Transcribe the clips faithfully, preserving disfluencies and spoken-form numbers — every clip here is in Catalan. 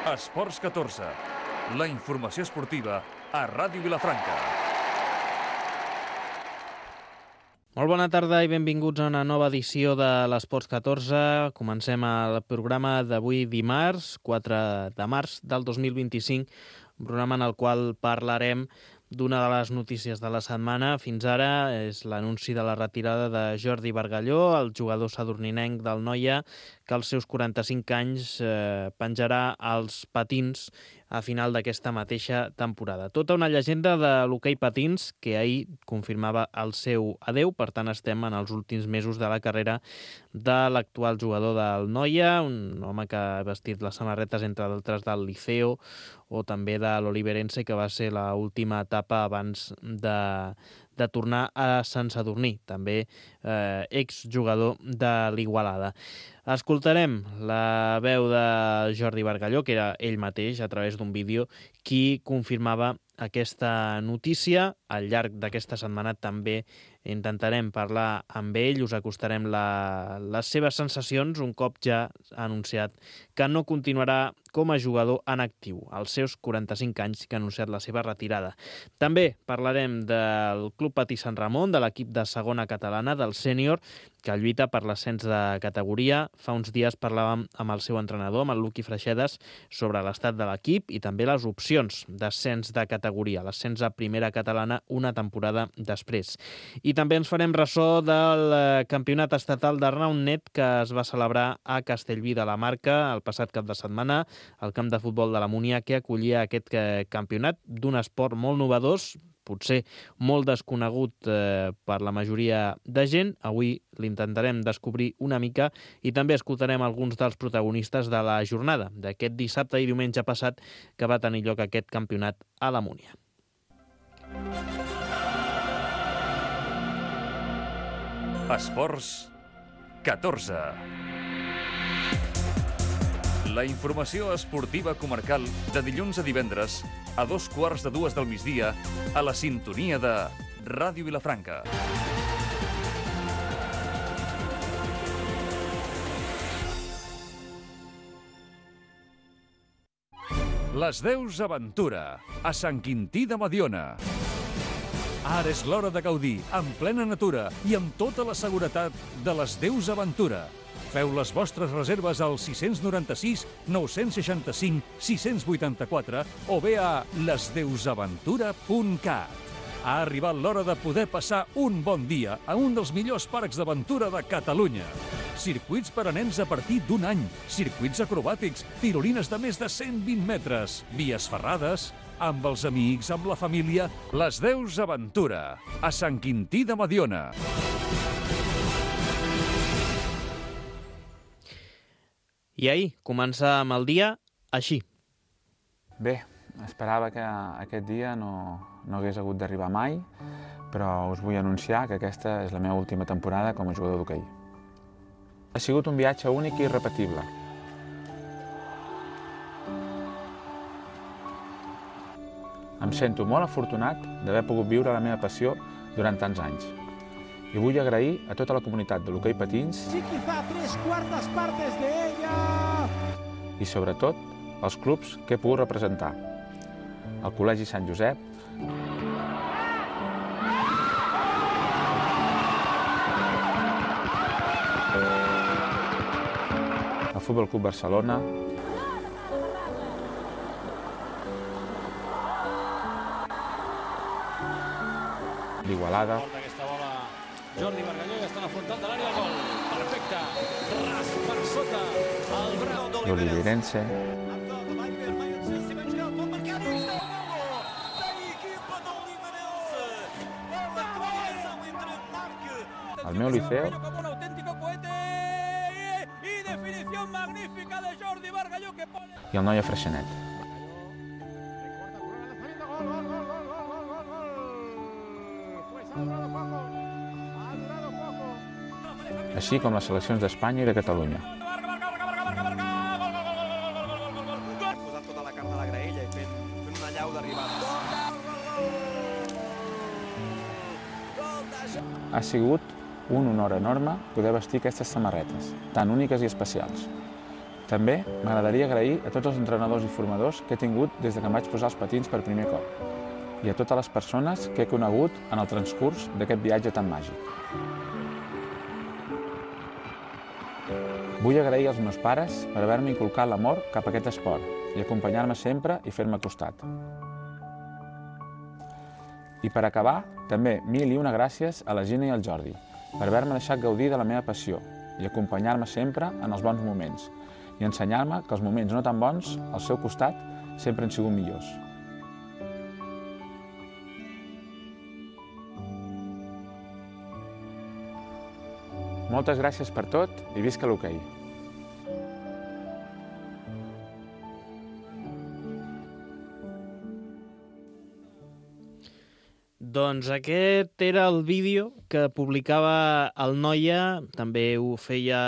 Esports catorze, la informació esportiva a Ràdio Vilafranca. Molt bona tarda i benvinguts a una nova edició de l'Esports catorze. Comencem el programa d'avui dimarts, quatre de març del dos mil vint-i-cinc, un programa en el qual parlarem d'una de les notícies de la setmana. Fins ara és l'anunci de la retirada de Jordi Bargalló, el jugador sadurninenc del Noia, que als seus quaranta-cinc anys eh, penjarà els patins a final d'aquesta mateixa temporada. Tota una llegenda de l'hoquei patins que ahir confirmava el seu adeu. Per tant, estem en els últims mesos de la carrera de l'actual jugador del Noia, un home que ha vestit les samarretes, entre d'altres, del Liceo o també de l'Oliverense, que va ser l'última etapa abans de, de tornar a Sant Sadurní, també eh, exjugador de l'Igualada. Escoltarem la veu de Jordi Bargalló, que era ell mateix, a través d'un vídeo, qui confirmava aquesta notícia. Al llarg d'aquesta setmana també intentarem parlar amb ell, us acostarem la, les seves sensacions, un cop ja ha anunciat que no continuarà com a jugador en actiu, als seus quaranta-cinc anys, que ha anunciat la seva retirada. També parlarem del Club Patí Sant Ramon, de l'equip de segona catalana, del sènior, que lluita per l'ascens de categoria. Fa uns dies parlàvem amb el seu entrenador, amb el Luqui Freixedes, sobre l'estat de l'equip i també les opcions d'ascens de categoria, l'ascens a primera catalana una temporada després. I també ens farem ressò del campionat estatal de Roundnet que es va celebrar a Castellví de la Marca el passat cap de setmana, al camp de futbol de la Múnia, que acollia aquest campionat d'un esport molt novedós, potser molt desconegut eh, per la majoria de gent. Avui l'intentarem descobrir una mica i també escoltarem alguns dels protagonistes de la jornada d'aquest dissabte i diumenge passat que va tenir lloc aquest campionat a la Múnia. Esports catorze. La informació esportiva comarcal de dilluns a divendres a dos quarts de dues del migdia a la sintonia de Ràdio Vilafranca. Les Deus Aventura, a Sant Quintí de Mediona. Ara és l'hora de gaudir, en plena natura i amb tota la seguretat de les Deus Aventura. Feu les vostres reserves al sis nou sis, nou seixanta cinc, sis vuitanta quatre o bé a les deus aventura punt cat. Ha arribat l'hora de poder passar un bon dia a un dels millors parcs d'aventura de Catalunya. Circuits per a nens a partir d'un any, circuits acrobàtics, tirolines de més de cent vint metres, vies ferrades, amb els amics, amb la família. Les Deus Aventura, a Sant Quintí de Mediona. I ahir començàvem el dia així. Bé, esperava que aquest dia no, no hagués hagut d'arribar mai, però us vull anunciar que aquesta és la meva última temporada com a jugador d'hoquei. Ha sigut un viatge únic i irrepetible. Em sento molt afortunat d'haver pogut viure la meva passió durant tants anys. I vull agrair a tota la comunitat de l'hoquei patins i, sobretot, als clubs que he pogut representar. El Col·legi Sant Josep, el Futbol Club Barcelona, l'Igualada, Jordi Bargalló ja està en el frontal de l'àrea, gol. Perfecte. Ras per sota el brau l'Oliverense, el meu Liceo i el Noia Freixenet. Així com les seleccions d'Espanya i de Catalunya. Posat tota la carn a la graella i fent una llau d'arribada. Ha sigut un honor enorme poder vestir aquestes samarretes, tan úniques i especials. També m'agradaria agrair a tots els entrenadors i formadors que he tingut des de que em vaig posar els patins per primer cop i a totes les persones que he conegut en el transcurs d'aquest viatge tan màgic. Vull agrair als meus pares per haver-me inculcat l'amor cap a aquest esport i acompanyar-me sempre i fer-me costat. I per acabar, també mil i una gràcies a la Gina i al Jordi per haver-me deixat gaudir de la meva passió i acompanyar-me sempre en els bons moments i ensenyar-me que els moments no tan bons, al seu costat, sempre han sigut millors. Moltes gràcies per tot i visca l'hoquei! Doncs aquest era el vídeo que publicava el Noia, també ho feia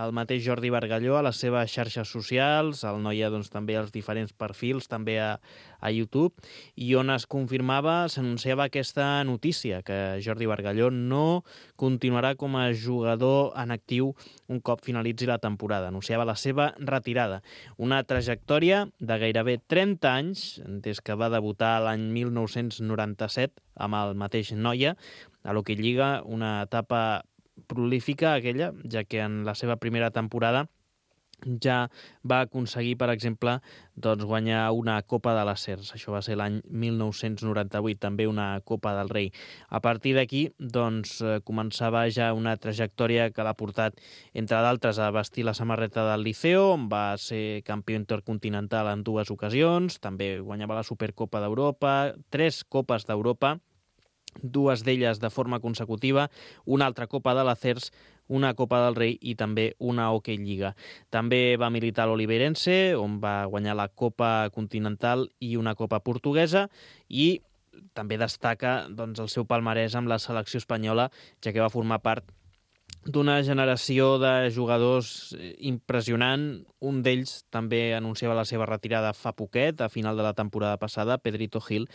el mateix Jordi Bargalló a les seves xarxes socials, el Noia doncs, també als diferents perfils, també a, a YouTube, i on es confirmava, s'anunciava aquesta notícia, que Jordi Bargalló no continuarà com a jugador en actiu un cop finalitzi la temporada. Anunciava la seva retirada. Una trajectòria de gairebé trenta anys, des que va debutar l'any mil nou-cents noranta-set amb el mateix Noia, a l'Hockey Lliga, una etapa prolífica aquella, ja que en la seva primera temporada ja va aconseguir, per exemple, doncs, guanyar una Copa de les Cers. Això va ser l'any mil nou-cents noranta-vuit, també una Copa del Rei. A partir d'aquí, doncs, començava ja una trajectòria que l'ha portat, entre d'altres, a vestir la samarreta del Liceo, on va ser campió intercontinental en dues ocasions, també guanyava la Supercopa d'Europa, tres Copes d'Europa, dues d'elles de forma consecutiva, una altra Copa de la Cers, una Copa del Rei i també una Hockey Lliga. També va militar a l'Oliveirense, on va guanyar la Copa Continental i una Copa Portuguesa, i també destaca doncs, el seu palmarès amb la selecció espanyola, ja que va formar part d'una generació de jugadors impressionant. Un d'ells també anunciava la seva retirada fa poquet, a final de la temporada passada, Pedrito Gil,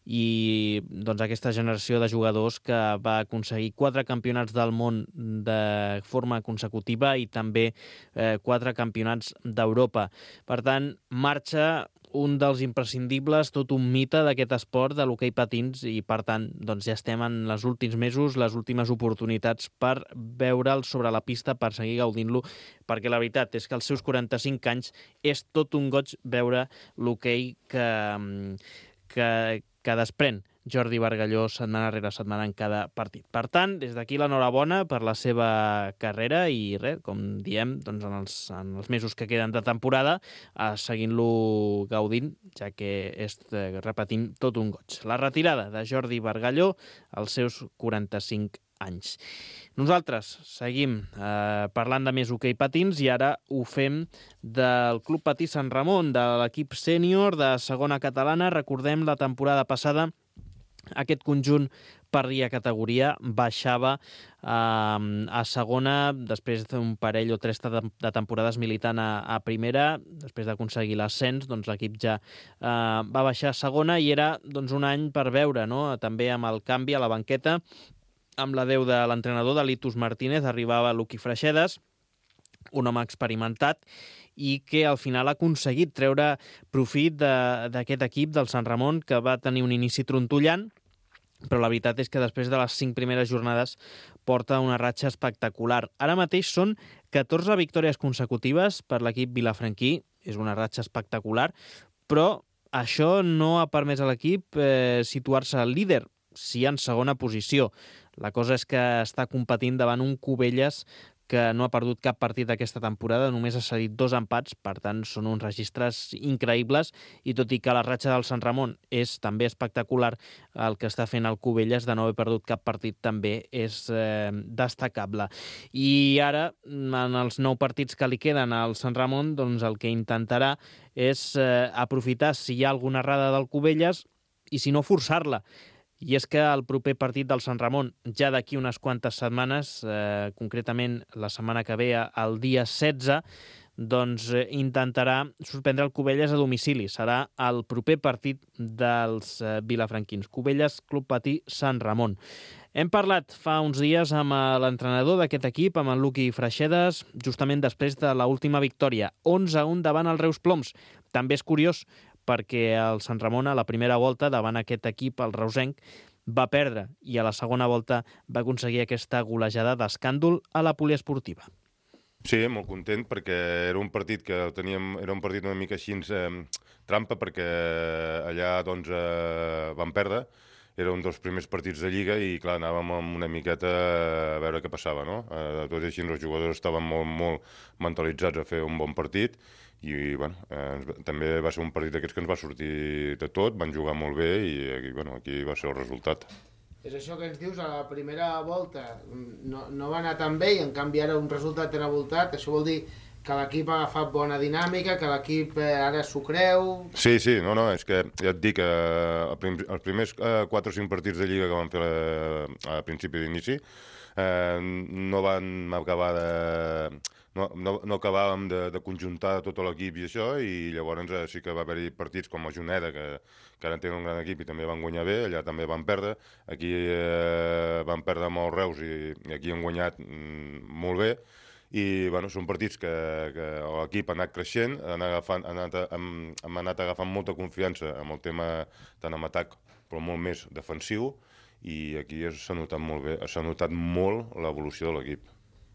i doncs, aquesta generació de jugadors que va aconseguir quatre campionats del món de forma consecutiva i també eh, quatre campionats d'Europa. Per tant, marxa un dels imprescindibles, tot un mite d'aquest esport de l'hoquei patins, i per tant doncs ja estem en els últims mesos, les últimes oportunitats per veure'l sobre la pista, per seguir gaudint-lo, perquè la veritat és que als seus quaranta-cinc anys és tot un goig veure l'hoquei que, que, que desprèn Jordi Bargalló setmana rere setmana en cada partit. Per tant, des d'aquí l'enhorabona per la seva carrera i res, com diem, doncs en, els, en els mesos que queden de temporada, eh, seguint-lo gaudint, ja que és, eh, repetint, tot un goig. La retirada de Jordi Bargalló als seus quaranta-cinc anys. Nosaltres seguim eh, parlant de més hoquei patins i ara ho fem del Club Patí Sant Ramon, de l'equip sènior de segona catalana. Recordem la temporada passada aquest conjunt perdia categoria, baixava eh, a segona després d'un parell o tres de temporades militant a, a primera. Després d'aconseguir l'ascens, doncs l'equip ja eh, va baixar a segona i era doncs, un any per veure, no? També amb el canvi a la banqueta, amb l'adeu de l'entrenador de Litus Martínez, arribava Luqui Freixedes, un home experimentat i que al final ha aconseguit treure profit d'aquest equip del Sant Ramon, que va tenir un inici trontollant, però la veritat és que després de les cinc primeres jornades porta una ratxa espectacular. Ara mateix són catorze victòries consecutives per l'equip vilafranquí, és una ratxa espectacular, però això no ha permès a l'equip eh, situar-se al líder, sí en segona posició. La cosa és que està competint davant un Cubelles que no ha perdut cap partit aquesta temporada, només ha cedit dos empats, per tant són uns registres increïbles, i tot i que la ratxa del Sant Ramon és també espectacular, el que està fent el Cubelles de no haver perdut cap partit també és eh, destacable. I ara, en els nou partits que li queden al Sant Ramon, doncs el que intentarà és eh, aprofitar si hi ha alguna errada del Cubelles i si no forçar-la. I és que el proper partit del Sant Ramon, ja d'aquí unes quantes setmanes, eh, concretament la setmana que ve, el dia setze, doncs eh, intentarà suspendre el Cubelles a domicili. Serà el proper partit dels eh, vilafranquins. Cubelles, Club Patí, Sant Ramon. Hem parlat fa uns dies amb l'entrenador d'aquest equip, amb en Luqui Freixedes, justament després de l'última victòria, onze a un davant el Reus Ploms. També és curiós perquè el Sant Ramon a la primera volta davant aquest equip, el reusenc, va perdre i a la segona volta va aconseguir aquesta golejada d'escàndol a la poliesportiva. Sí, molt content perquè era un partit que teníem, era un partit una mica així eh, trampa perquè allà doncs eh, vam perdre, era un dels primers partits de Lliga i clar, anàvem amb una miqueta a veure què passava, no? Eh, tot i així els jugadors estaven molt, molt mentalitzats a fer un bon partit i bueno, eh, també va ser un partit d'aquests que ens va sortir de tot, van jugar molt bé i aquí, bueno, aquí va ser el resultat. És això que ens dius, a la primera volta no, no va anar tan bé i en canvi ara un resultat tan avoltat, això vol dir que l'equip ha agafat bona dinàmica, que l'equip eh, ara s'ho creu... Sí, sí, no, no, és que ja et dic que eh, els primers eh, quatre o cinc partits de Lliga que van fer a, a principi d'inici eh, no van acabar de... No, no, no acabàvem de, de conjuntar tot l'equip i això, i llavors eh, sí que va haver-hi partits com a Juneda, que, que ara tenen un gran equip i també van guanyar bé, allà també van perdre, aquí eh, van perdre amb els Reus i, i aquí han guanyat mm, molt bé, i bueno, són partits que, que l'equip ha anat creixent, han agafant, ha anat, hem, hem anat agafant molta confiança amb el tema tant en atac, però molt més defensiu, i aquí s'ha notat molt bé, s'ha notat molt l'evolució de l'equip.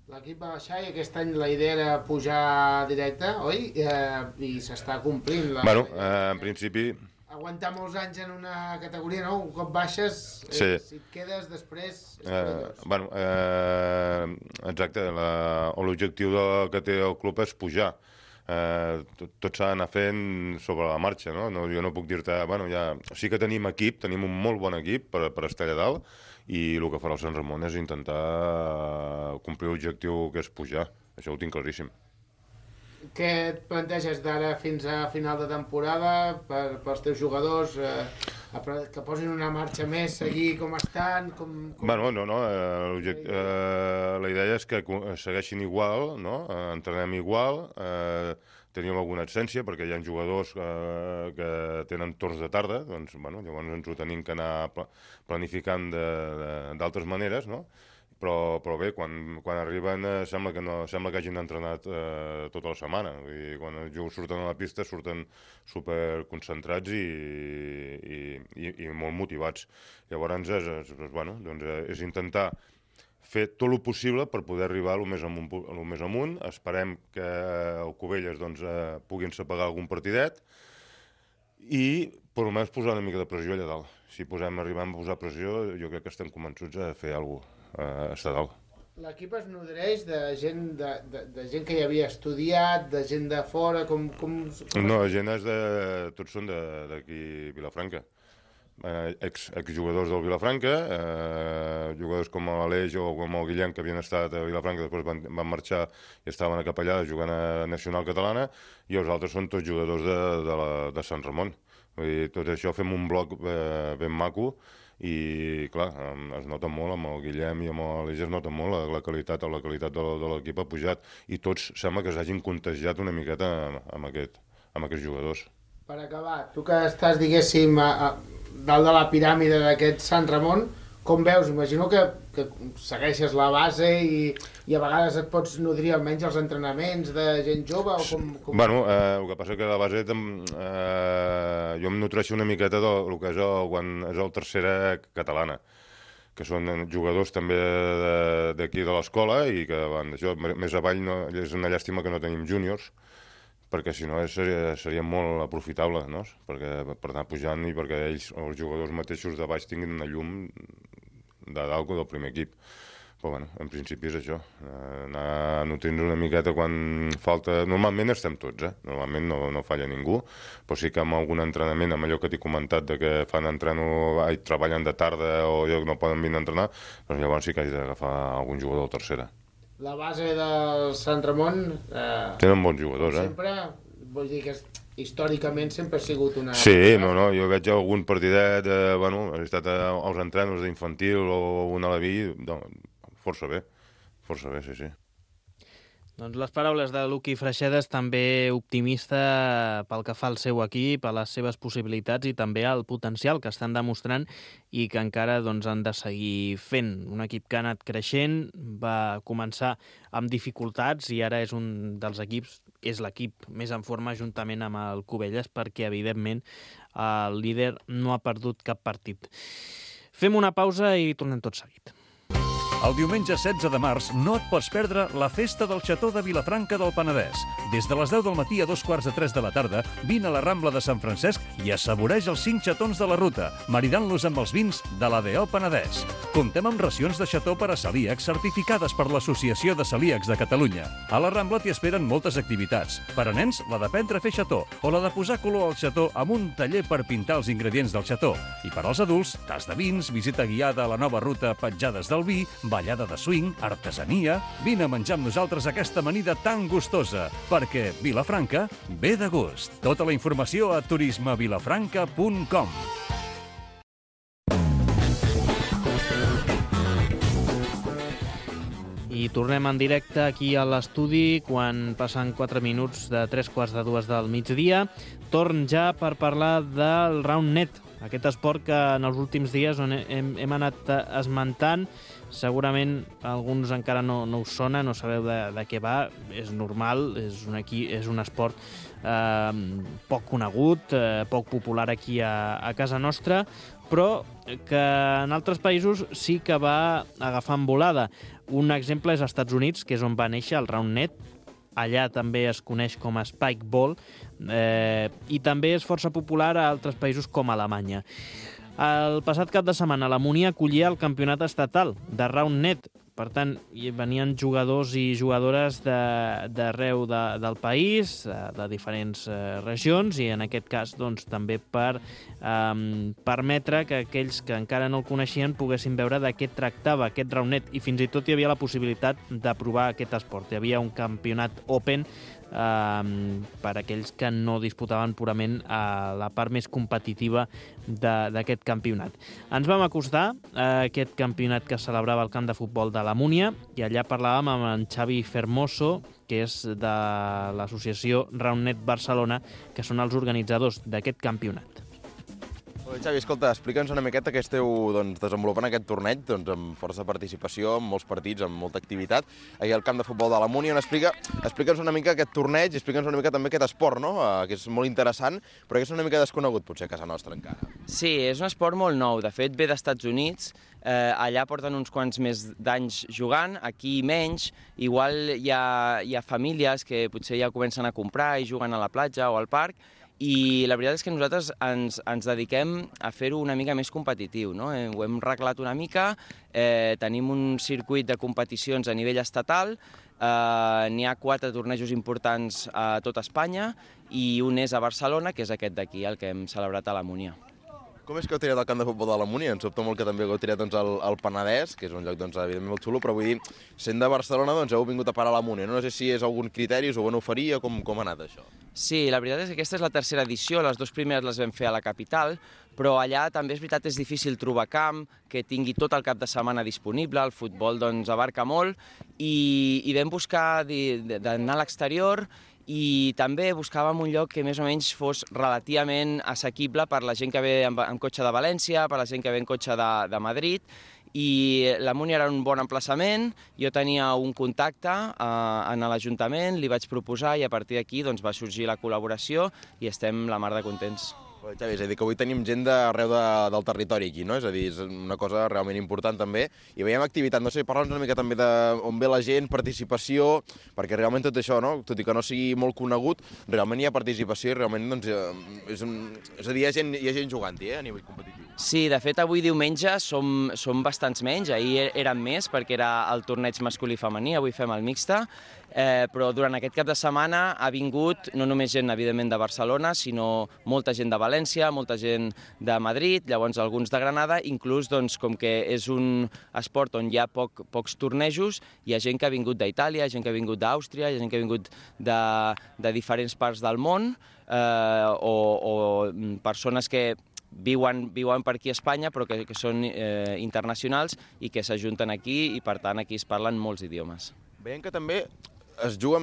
L'equip va baixar i aquest any la idea era pujar directe, oi? Eh, I s'està complint. La... Bueno, eh, en principi... Aguantar molts anys en una categoria, no? Un cop baixes, eh, sí. Si et quedes després... Eh, bueno, eh, exacte, l'objectiu que té el club és pujar. Eh, tot, tot s'ha d'anar fent sobre la marxa, no? No, jo no puc dir-te... Bueno, ja, sí que tenim equip, tenim un molt bon equip per, per estar allà dalt, i el que farà el Sant Ramon és intentar complir l'objectiu que és pujar. Això ho tinc claríssim. Què et planteges d'ara fins a final de temporada per, pels teus jugadors? Eh, que posin una marxa més, seguir com estan? Com, com... Bueno, no, no. Eh, eh, la idea és que segueixin igual, no? Eh, entrenem igual, eh, tenim alguna absència perquè hi ha jugadors eh, que tenen torns de tarda, doncs bueno, llavors ens ho tenim que anar planificant d'altres maneres, no? Però, però bé, quan, quan arriben eh, sembla, que no, sembla que hagin entrenat eh, tota la setmana. Vull dir, quan els jugadors surten a la pista surten superconcentrats i, i, i, i molt motivats. Llavors és, és, bueno, doncs és intentar fer tot el possible per poder arribar el més amunt. El més amunt. Esperem que el Cubelles doncs, eh, puguin sepagar algun partidet i per almenys posar una mica de pressió allà dalt. Si posem, arribem a posar pressió, jo crec que estem convençuts a fer alguna cosa. Uh, està dalt. L'equip es nodreix de gent, de, de, de gent que hi havia estudiat, de gent de fora, com... com, com... No, gent és de... tots són d'aquí Vilafranca. Uh, ex, exjugadors del Vilafranca, uh, jugadors com l'Aleix o com el Guillem, que havien estat a Vilafranca, després van, van marxar i estaven a Capellada jugant a Nacional Catalana, i els altres són tots jugadors de, de, la, de Sant Ramon. Vull dir, tot això fem un bloc eh, ben maco, i clar, es nota molt amb el Guillem i amb l'Aleix, es nota molt la, la qualitat, la qualitat de, de l'equip ha pujat, i tots sembla que s'hagin contagiat una miqueta amb, amb, aquest, amb aquests jugadors. Per acabar, tu que estàs, diguéssim, a, a, dalt de la piràmide d'aquest Sant Ramon, com veus? Imagino que, que segueixes la base i, i a vegades et pots nodrir almenys els entrenaments de gent jove o com... com... Bueno, eh, el que passa que la base eh, jo em nutreixo una miqueta del que és el, quan és el tercera catalana, que són jugadors també d'aquí de l'escola i que van d'això, més avall no, és una llàstima que no tenim júniors, perquè si no seria, seria molt aprofitable, no? Perquè, per anar pujant i perquè ells, els jugadors mateixos de baix, tinguin una llum de dalt del primer equip. Però bueno, en principi és això, anar nutrint una miqueta quan falta... Normalment estem tots, eh? Normalment no, no falla ningú, però sí que amb algun entrenament, amb allò que t'he comentat, de que fan entreno, ai, treballen de tarda o no poden venir a entrenar, doncs llavors sí que has d'agafar algun jugador de tercera. La base del Sant Ramon... Eh, Tenen bons jugadors, eh? Sempre, vull dir que històricament sempre ha sigut una... Sí, no, no, jo veig algun partidet, eh, bueno, he estat als entrenos d'infantil o un aleví, no, força bé, força bé, sí, sí. Doncs les paraules de Luqui Freixedes, també optimista pel que fa al seu equip, a les seves possibilitats i també al potencial que estan demostrant i que encara doncs, han de seguir fent. Un equip que ha anat creixent, va començar amb dificultats i ara és un dels equips, és l'equip més en forma juntament amb el Cubelles perquè, evidentment, el líder no ha perdut cap partit. Fem una pausa i tornem tot seguit. El diumenge setze de març no et pots perdre la festa del Xató de Vilafranca del Penedès. Des de les deu del matí a dos quarts de tres de la tarda, vine a la Rambla de Sant Francesc i assaboreix els cinc xatons de la ruta, maridant-los amb els vins de l'A D O Penedès. Comptem amb racions de xató per a celíacs certificades per l'Associació de Celíacs de Catalunya. A la Rambla t'hi esperen moltes activitats. Per a nens, la d'aprendre a fer xató o la de posar color al xató amb un taller per pintar els ingredients del xató. I per als adults, tas de vins, visita guiada a la nova ruta Petjades del Vi, ballada de swing, artesania... Vine a menjar amb nosaltres aquesta amanida tan gustosa, perquè Vilafranca ve de gust. Tota la informació a turisme vilafranca punt com. I tornem en directe aquí a l'estudi quan passen quatre minuts de tres quarts de dues del migdia. Torn ja per parlar del Round Net, aquest esport que en els últims dies on hem, hem anat esmentant. Segurament alguns encara no, no us sona, no sabeu de, de què va, és normal, és un, aquí, és un esport eh, poc conegut, eh, poc popular aquí a, a casa nostra, però que en altres països sí que va agafant volada. Un exemple és als Estats Units, que és on va néixer el Round Net. Allà també es coneix com a Spike Ball eh, i també és força popular a altres països com Alemanya. El passat cap de setmana la Múnia acollia el campionat estatal de Round Net. Per tant, hi venien jugadors i jugadores d'arreu de, de, del país, de diferents eh, regions, i en aquest cas doncs, també per eh, permetre que aquells que encara no el coneixien poguessin veure de què tractava aquest Round Net, i fins i tot hi havia la possibilitat de provar aquest esport. Hi havia un campionat open eh, per aquells que no disputaven purament a la part més competitiva d'aquest campionat. Ens vam acostar a aquest campionat que celebrava el camp de futbol de la Múnia i allà parlàvem amb en Xavi Fermoso, que és de l'associació Round Net Barcelona, que són els organitzadors d'aquest campionat. Xavi, escolta, explica'ns una miqueta què esteu doncs, desenvolupant aquest torneig doncs, amb força participació, amb molts partits, amb molta activitat, aquí al camp de futbol de la Múnia. Explica, explica'ns una mica aquest torneig, explica'ns una mica també aquest esport, no? Uh, que és molt interessant, però que és una mica desconegut, potser, a casa nostra encara. Sí, és un esport molt nou. De fet, ve dels Estats Units. Eh, allà porten uns quants més d'anys jugant, aquí menys. Igual hi ha, hi ha famílies que potser ja comencen a comprar i juguen a la platja o al parc, i la veritat és que nosaltres ens, ens dediquem a fer-ho una mica més competitiu, no? Eh, ho hem reglat una mica, eh, tenim un circuit de competicions a nivell estatal, eh, n'hi ha quatre tornejos importants a tot Espanya i un és a Barcelona, que és aquest d'aquí, el que hem celebrat a la Múnia. Com és que heu tirat el camp de futbol de la Múnia? Ens sobta molt que també heu tirat doncs, el, el Penedès, que és un lloc doncs, evidentment molt xulo, però vull dir, sent de Barcelona doncs, heu vingut a parar a la Múnia. No sé si és algun criteri, us ho van oferir o com, com ha anat això? Sí, la veritat és que aquesta és la tercera edició, les dues primeres les vam fer a la capital, però allà també és veritat és difícil trobar camp, que tingui tot el cap de setmana disponible, el futbol doncs, abarca molt, i, i vam buscar d'anar a l'exterior, i també buscàvem un lloc que més o menys fos relativament assequible per la gent que ve amb, amb cotxe de València, per la gent que ve en cotxe de, de Madrid, i la Múnia era un bon emplaçament, jo tenia un contacte eh, en l'Ajuntament, li vaig proposar i a partir d'aquí doncs, va sorgir la col·laboració i estem la mar de contents. Xavi, és a dir, que avui tenim gent d'arreu de, del territori aquí, no? És a dir, és una cosa realment important també. I veiem activitat, no sé, parla'ns una mica també d'on ve la gent, participació, perquè realment tot això, no? Tot i que no sigui molt conegut, realment hi ha participació i realment, doncs, és, un... és a dir, hi ha gent, hi ha gent jugant-hi, eh, a nivell competitiu. Sí, de fet, avui diumenge som, som bastants menys, ahir érem més perquè era el torneig masculí i femení, avui fem el mixte, eh, però durant aquest cap de setmana ha vingut no només gent, evidentment, de Barcelona, sinó molta gent de València, molta gent de Madrid, llavors alguns de Granada, inclús doncs, com que és un esport on hi ha poc, pocs tornejos, hi ha gent que ha vingut d'Itàlia, gent que ha vingut d'Àustria, hi ha gent que ha vingut de, de diferents parts del món, eh, o, o persones que viuen, viuen per aquí a Espanya, però que, que són eh, internacionals i que s'ajunten aquí i, per tant, aquí es parlen molts idiomes. Veiem que també es juga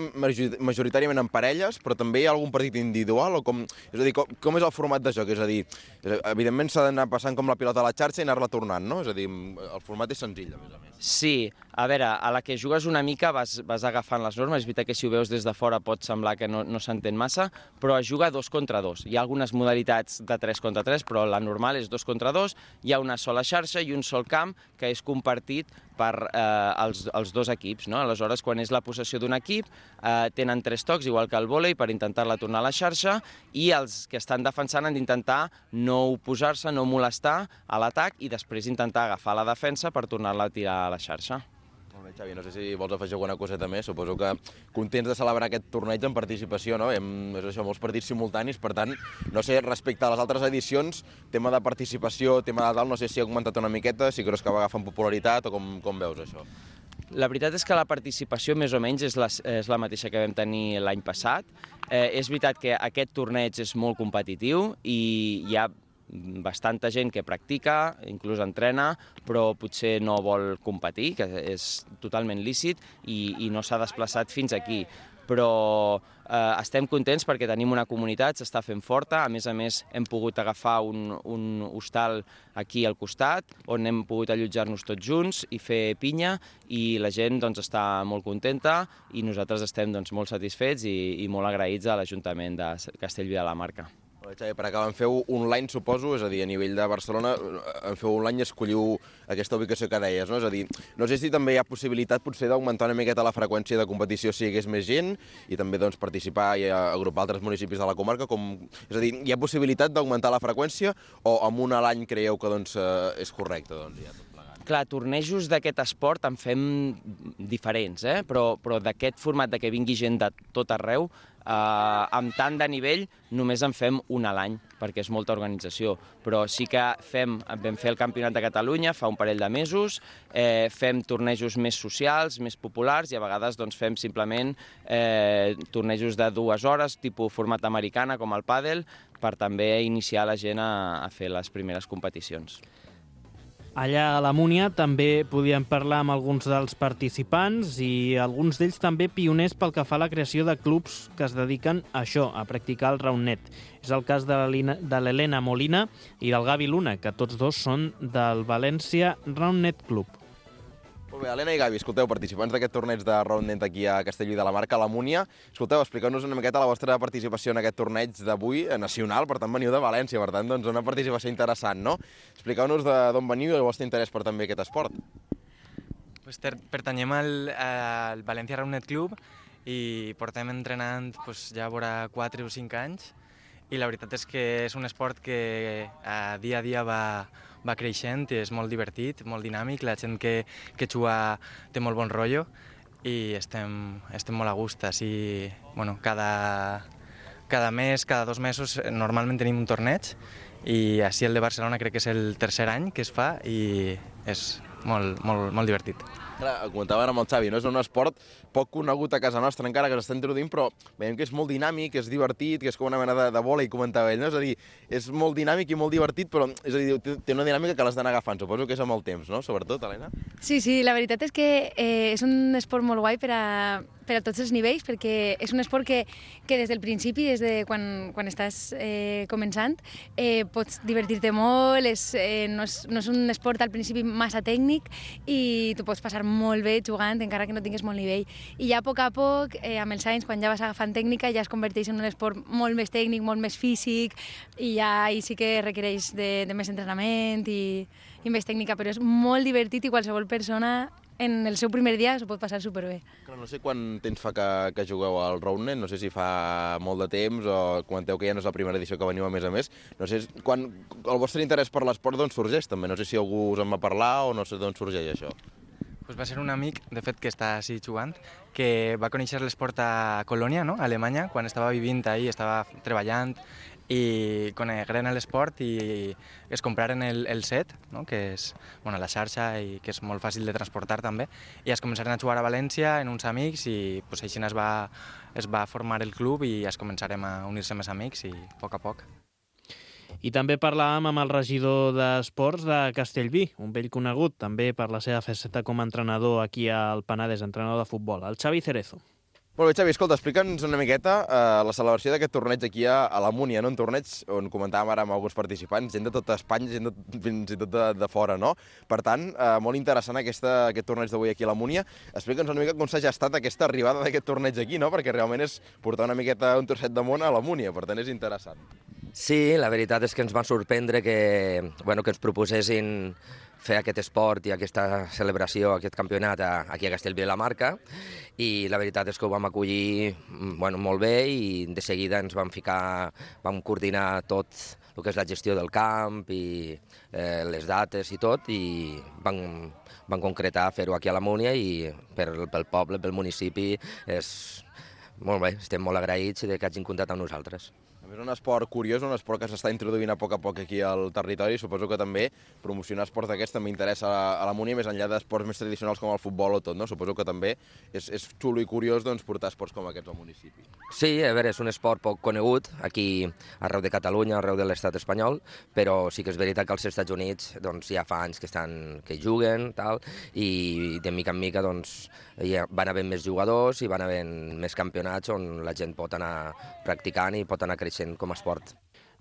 majoritàriament en parelles, però també hi ha algun partit individual? O com, és a dir, com, com és el format de joc? És a dir, evidentment s'ha d'anar passant com la pilota a la xarxa i anar-la tornant, no? És a dir, el format és senzill, a més a més. Sí, a veure, a la que jugues una mica vas, vas agafant les normes. És veritat que si ho veus des de fora pot semblar que no, no s'entén massa, però es juga dos contra dos. Hi ha algunes modalitats de tres contra tres, però la normal és dos contra dos. Hi ha una sola xarxa i un sol camp que és compartit per eh, els, els dos equips, no? Aleshores, quan és la possessió d'un equip, eh, tenen tres tocs, igual que el vòlei, per intentar-la tornar a la xarxa, i els que estan defensant han d'intentar no oposar-se, no molestar a l'atac i després intentar agafar la defensa per tornar-la a tirar a la xarxa. Molt bé, Xavi, no sé si vols afegir alguna coseta més. Suposo que contents de celebrar aquest torneig en participació, no? Hem, és això, molts partits simultanis, per tant, no sé, respecte a les altres edicions, tema de participació, tema de tal, no sé si ha augmentat una miqueta, si creus que va agafant popularitat o com, com veus això? La veritat és que la participació més o menys és la, és la mateixa que vam tenir l'any passat. Eh, és veritat que aquest torneig és molt competitiu i hi ha bastanta gent que practica, inclús entrena, però potser no vol competir, que és totalment lícit, i, i no s'ha desplaçat fins aquí. Però eh, estem contents perquè tenim una comunitat, s'està fent forta, a més a més hem pogut agafar un, un hostal aquí al costat, on hem pogut allotjar-nos tots junts i fer pinya, i la gent doncs, està molt contenta i nosaltres estem doncs, molt satisfets i, i molt agraïts a l'Ajuntament de Castellví de la Marca. Xavi, per acabar, en feu online, suposo, és a dir, a nivell de Barcelona, en feu online i escolliu aquesta ubicació que deies, no? És a dir, no sé si també hi ha possibilitat potser d'augmentar una miqueta la freqüència de competició si hi hagués més gent i també doncs, participar i agrupar altres municipis de la comarca. Com... És a dir, hi ha possibilitat d'augmentar la freqüència o amb una a l'any creieu que doncs, és correcte? Doncs, ja tot plegat. Clar, tornejos d'aquest esport en fem diferents, eh? però, però d'aquest format de que vingui gent de tot arreu, eh, amb tant de nivell només en fem un a l'any, perquè és molta organització. Però sí que fem, vam fer el Campionat de Catalunya fa un parell de mesos, eh, fem tornejos més socials, més populars, i a vegades doncs, fem simplement eh, tornejos de dues hores, tipus format americana, com el pàdel, per també iniciar la gent a, a fer les primeres competicions. Allà a la Múnia també podíem parlar amb alguns dels participants i alguns d'ells també pioners pel que fa a la creació de clubs que es dediquen a això, a practicar el roundnet. És el cas de l'Helena Molina i del Gavi Luna, que tots dos són del València Roundnet Club. Molt bé, Helena i Gavi, escolteu, participants d'aquest torneig de roundnet aquí a Castellví de la Marca, a la Múnia. Escolteu, expliqueu-nos una miqueta la vostra participació en aquest torneig d'avui nacional, per tant veniu de València, per tant doncs una participació interessant, no? Expliqueu-nos d'on veniu i el vostre interès per també aquest esport. Pues ter, pertanyem al, al València Roundnet Club i portem entrenant pues, ja vora quatre o cinc anys, i la veritat és que és un esport que a dia a dia va, va creixent i és molt divertit, molt dinàmic, la gent que, que juga té molt bon rotllo i estem, estem molt a gust. Així, bueno, cada, cada mes, cada dos mesos, normalment tenim un torneig i així el de Barcelona crec que és el tercer any que es fa i és molt, molt, molt divertit. Clar, ho comentava ara amb el Xavi, no? És un esport poc conegut a casa nostra encara, que s'està introduint, però veiem que és molt dinàmic, és divertit, que és com una mena de, de vòlei, comentava ell, no? És a dir, és molt dinàmic i molt divertit, però és a dir, té una dinàmica que l'has d'anar agafant, suposo que és amb el temps, no? Sobretot, Helena? Sí, sí, la veritat és que eh, és un esport molt guai per a, per a tots els nivells, perquè és un esport que, que des del principi, des de quan, quan estàs eh, començant, eh, pots divertir-te molt, és, eh, no, és, no és un esport al principi massa tècnic i tu pots passar molt bé jugant, encara que no tinguis molt nivell. I ja a poc a poc, eh, amb els anys, quan ja vas agafant tècnica, ja es converteix en un esport molt més tècnic, molt més físic, i ja ahí sí que requereix de, de més entrenament i, i més tècnica, però és molt divertit i qualsevol persona en el seu primer dia s'ho pot passar superbé. No sé quant temps fa que, que jugueu al roundnet, no sé si fa molt de temps o comenteu que ja no és la primera edició que veniu a més a més. No sé quan el vostre interès per l'esport d'on sorgeix també, no sé si algú us en va parlar o no sé d'on sorgeix això. Pues va ser un amic, de fet, que està així jugant, que va conèixer l'esport a Colònia, no? A Alemanya, quan estava vivint ahí, estava treballant, i conegueren l'esport i es compraren el, el set, no? Que és bueno, la xarxa i que és molt fàcil de transportar també, i es començaren a jugar a València en uns amics i pues, així es va, es va formar el club i es començarem a unir-se més amics i a poc a poc. I també parlàvem amb el regidor d'Esports de Castellví, un vell conegut també per la seva faceta com a entrenador aquí al Penedès, entrenador de futbol, el Xavi Cerezo. Molt bé, Xavi, escolta, explica'ns una miqueta eh, la celebració d'aquest torneig aquí a, a la Múnia, no? Un torneig on comentàvem ara amb alguns participants, gent de tota Espanya, gent de, fins i tot de, de fora, no? Per tant, eh, molt interessant aquesta, aquest torneig d'avui aquí a la Múnia. Explica'ns una mica com s'ha gestat aquesta arribada d'aquest torneig aquí, no? Perquè realment és portar una miqueta un trosset de món a la Múnia, per tant és interessant. Sí, la veritat és que ens va sorprendre que, bueno, que ens proposessin fer aquest esport i aquesta celebració, aquest campionat aquí a Castellví de la Marca, i la veritat és que ho vam acollir bueno, molt bé i de seguida ens vam ficar, vam coordinar tot el que és la gestió del camp i eh, les dates i tot, i vam, vam concretar fer-ho aquí a la Múnia i per, pel poble, pel municipi, és molt bé, estem molt agraïts de que hagin comptat amb nosaltres. És un esport curiós, un esport que s'està introduint a poc a poc aquí al territori. Suposo que també promocionar esports d'aquests també interessa a la Múnia, més enllà d'esports més tradicionals com el futbol o tot, no? Suposo que també és, és xulo i curiós doncs, portar esports com aquests al municipi. Sí, a veure, és un esport poc conegut aquí arreu de Catalunya, arreu de l'estat espanyol, però sí que és veritat que als Estats Units doncs, ja fa anys que, estan, que juguen tal, i de mica en mica doncs, ja van havent més jugadors i van havent més campionats on la gent pot anar practicant i pot anar creixent com a esport.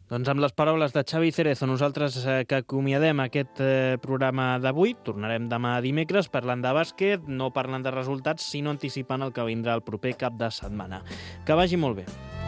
Doncs amb les paraules de Xavi Cerezo, nosaltres eh, que acomiadem aquest eh, programa d'avui, tornarem demà dimecres parlant de bàsquet, no parlant de resultats, sinó anticipant el que vindrà el proper cap de setmana. Que vagi molt bé.